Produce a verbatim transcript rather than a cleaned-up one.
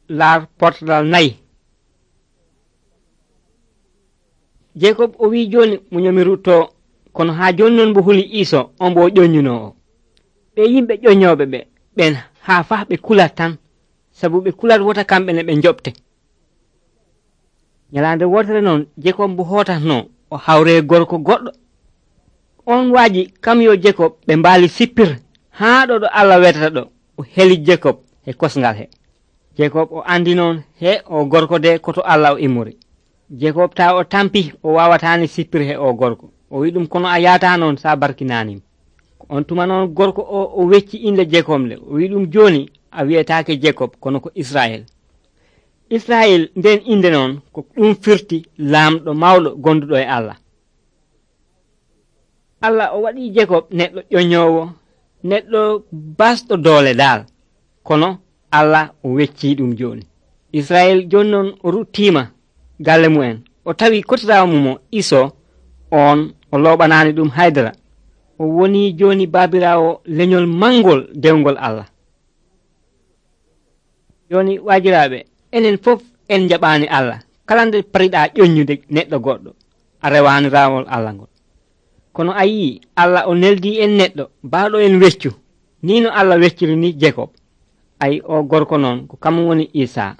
laar portalal nayi. Jacob o wi joni muñomi rutto, kono ha joni non mbo huli Iso on bo ƴoññunowo. ɓe yimɓe ƴoññoɓe ɓe ɓen ha fah ɓe kulat tan, sabu ɓe kulat wota kamɓe ne ɓe joɓte. Nyalande wotere noon Jacob mbo hotatno o hawre gorko goɗɗo. On waaji kam yo Jacob ɓe mbaali sippir haa ɗo ɗo Allah wetata ɗo o heli Jacob e kosngal he. Jacob o andi noon he o gorko de koto Allah o immori. Jacob ta o tampi o wawatani sippir he o gorko. O wi ɗum kono a yata noon sa barkinanim. On tuma noon gorko o o wecci inde Jacob le. O wi ɗum joni a wiyetake Jacob kono ko Israel. Israel nden inde noon ko ɗum firti laamɗo mawɗo gonduɗo e Allah. Allah o waɗi Jacob neɗɗo ƴoññowo, neɗɗo basɗo doole dal, kono Allah o wecci ɗum joni. Israel joni noon o ruttima galle mu'en, o tawi kotirawo mumo Iso, on o loɓanani ɗum haydara. O woni joni babirawo leñol mangol dewgol Allah. Joni wajiraɓe, enen fof en jaɓani Allah. Kala nde pariɗa ƴoññude neɗɗo goɗɗo, a rewani rawol Allah ngol. Kono a yii Allah o neldi en neɗɗo baaɗo en weccu, ni no Allah wecciri ni Jacob. Ay o gorko noon ko kam woni Isa.